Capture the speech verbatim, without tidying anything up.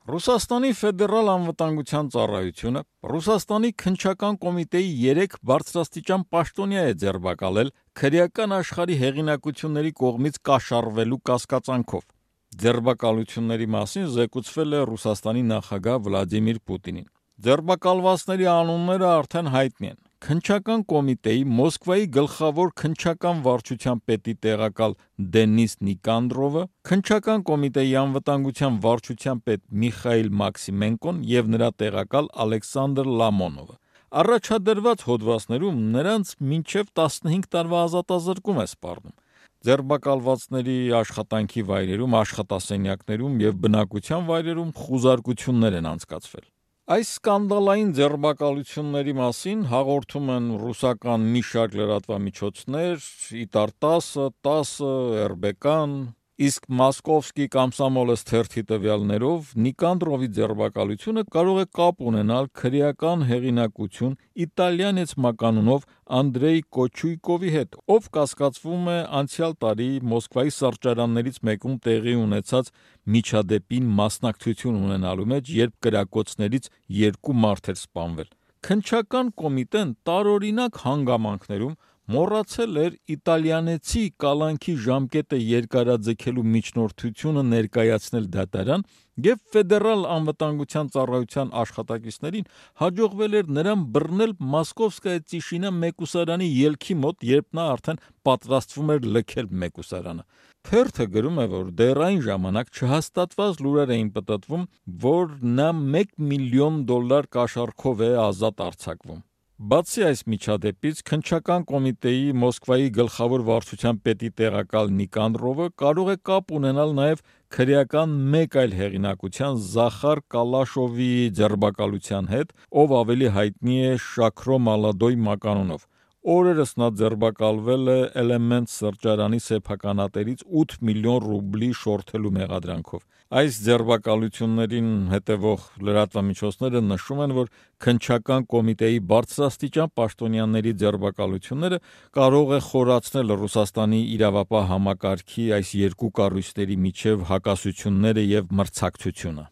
Ռուսաստանի ֆեդերալ անվտանգության ծառայությունը Ռուսաստանի քննչական կոմիտեի երեք բարձրաստիճան պաշտոնյա է ձերբակալել քրեական աշխարհի հեղինակությունների կողմից կաշառվելու կասկածանքով։ Ձերբակալությունների մասին զեկուցվել է Ռուսաստանի նախագահ Վլադիմիր Պուտինին։ Ձերբակալվածների անունները արդեն հայտնի են։ Քննչական կոմիտեի Մոսկվայի գլխավոր քննչական վարչության պետի տեղակալ Դենիս Նիկանդրովը, քննչական կոմիտեի անվտանգության վարչության պետ Միխայիլ Մաքսիմենկոն եւ նրա տեղակալ Ալեքսանդր Լամոնովը։ Առաջադրված հոդվածներում նրանց մինչև տասնհինգ տարվա ազատազրկում է սպառնում։ Ձերբակալվածների աշխատանքի վայրերում, աշխատասենյակներում եւ բնակության վայրերում խուզարկություններ են անցկացվել։ Այս սկանդալային ձերբակալությունների մասին հաղորդում են ռուսական մի շարք լրատվամիջոցներ՝ Իտար տասը, տասը, էր բե կան, իսկ Մոսկովսկի Կոմսոմոլец թերթի տվյալներով Նիկանդրովի ձերբակալությունը կարող է կապ ունենալ քրեական հեղինակություն իտալյանец մականունով Անդրեյ Կոչույկովի հետ, ով կասկածվում է անցյալ տարի Մոսկվայի սրճարաններից մեկում տեղի ունեցած միջադեպին մասնակցություն ունենալու մեջ, երբ կրակոցներից երկու մարդ էր սպանվել։ Քննչական կոմիտեն տարօրինակ հանգամանքներում մոռացել էր իտալյանեցի կալանքի ժամկետը երկարաձգելու միջնորդությունը ներկայացնել դատարան եւ ֆեդերալ անվտանգության ծառայության աշխատակիցներին հաջողվել էր նրան բռնել Մոսկովսկայա Տիշինա մեկուսարանի ելքի մոտ, երբ նա արդեն պատրաստվում էր լքել մեկուսարանը։ Թերթը գրում է, որ դեռ այն ժամանակ չհաստատված լուրեր էին պտտվում, որ նա մեկ միլիոն դոլար կաշառքով է ազատ արձակվում։ Բացի այս միջադեպից, քննչական կոմիտեի Մոսկվայի գլխավոր վարչության պետի տեղակալ Նիկանդրովը կարող է կապ ունենալ նաև քրեական մեկ այլ հեղինակության Զախար Կալաշովի ձերբակալության հետ, ով ավելի հայտնի է Շաքրո Մալադոյ մականունով։ Օրերս նա ձերբակալվել է Էլեմենտ սրճարանի սեփականատերից ութ միլիոն ռուբլի շորթելու մեղադրանքով։ Այս ձերբակալություններին հետևող լրատվամիջոցները նշում են, որ քննչական կոմիտեի բարձրաստիճան պաշտոնյաների ձերբակալությունները կարող է խորացնել Ռուսաստանի իրավապահ համակարգի այս երկու կառույցների միջև հակասությունները եւ մրցակցությունը։